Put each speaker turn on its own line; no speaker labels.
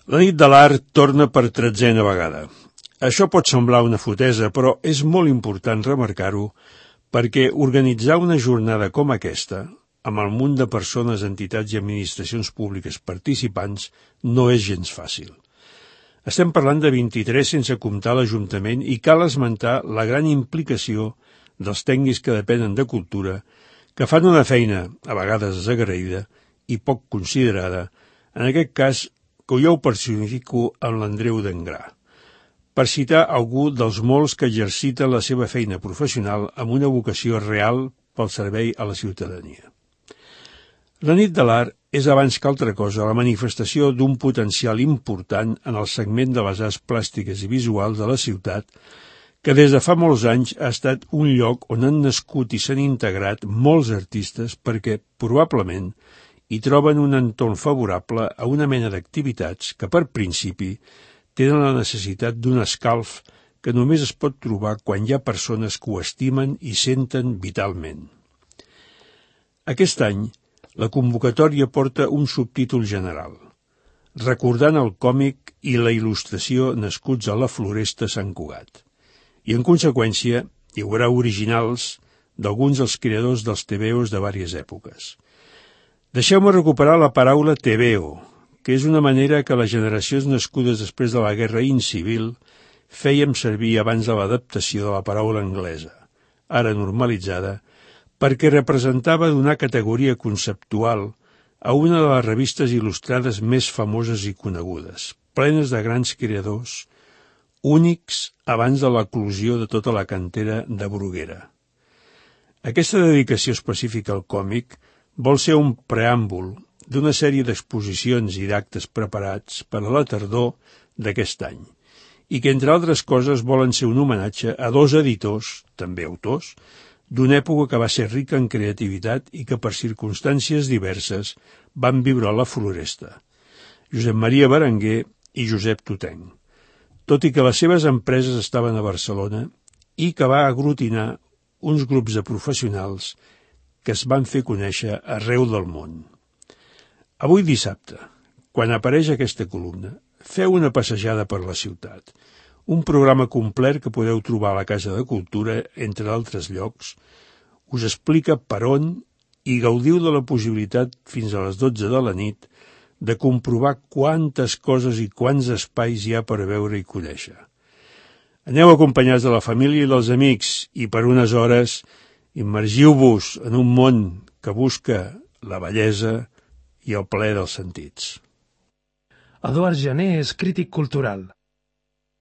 La nit de l'art torna per 13a vegada. Això pot semblar una fotesa, però és molt important remarcar-ho perquè organitzar una jornada com aquesta, amb el munt de persones, entitats i administracions públiques participants, no és gens fàcil. Estem parlant de 23 sense comptar l'Ajuntament i cal esmentar la gran implicació dels tècnics que depenen de cultura, que fan una feina, a vegades desagraïda i poc considerada, en aquest cas que jo ho personifico amb l'Andreu d'Engrà, per citar algú dels molts que exerciten la seva feina professional amb una vocació real pel servei a la ciutadania. La nit de l'art és abans que altra cosa la manifestació d'un potencial important en el segment de les arts plàstiques i visuals de la ciutat, que des de fa molts anys ha estat un lloc on han nascut i s'han integrat molts artistes perquè, probablement, hi troben un entorn favorable a una mena d'activitats que, per principi, tenen la necessitat d'un escalf que només es pot trobar quan hi ha persones que ho estimen i senten vitalment. Aquest any, la convocatòria porta un subtítol general, recordant el còmic i la il·lustració nascuts a la Floresta Sant Cugat. I, en conseqüència, hi haurà originals d'alguns dels creadors dels tebeos de vàries èpoques. Deixeu-me recuperar la paraula tebeo, que és una manera que les generacions nascudes després de la Guerra Incivil fèiem servir abans de l'adaptació de la paraula anglesa, ara normalitzada, perquè representava donar categoria conceptual a una de les revistes il·lustrades més famoses i conegudes, plenes de grans creadors, únics abans de l'eclosió de tota la cantera de Bruguera. Aquesta dedicació específica al còmic vol ser un preàmbul d'una sèrie d'exposicions i d'actes preparats per a la tardor d'aquest any, i que, entre altres coses, volen ser un homenatge a dos editors, també autors, d'una època que va ser rica en creativitat i que, per circumstàncies diverses, van viure a la Floresta, Josep Maria Berenguer i Josep Totenc, tot i que les seves empreses estaven a Barcelona i que va aglutinar uns grups de professionals que es van fer conèixer arreu del món. Avui dissabte, quan apareix aquesta columna, feu una passejada per la ciutat, un programa complet que podeu trobar a la Casa de Cultura, entre altres llocs, us explica per on i gaudiu de la possibilitat fins a les 12 de la nit de comprovar quantes coses i quants espais hi ha per veure i conèixer. Aneu acompanyats de la família i dels amics i per unes hores immergiu-vos en un món que busca la bellesa i el plaer dels sentits.
Eduard Jané és crític cultural.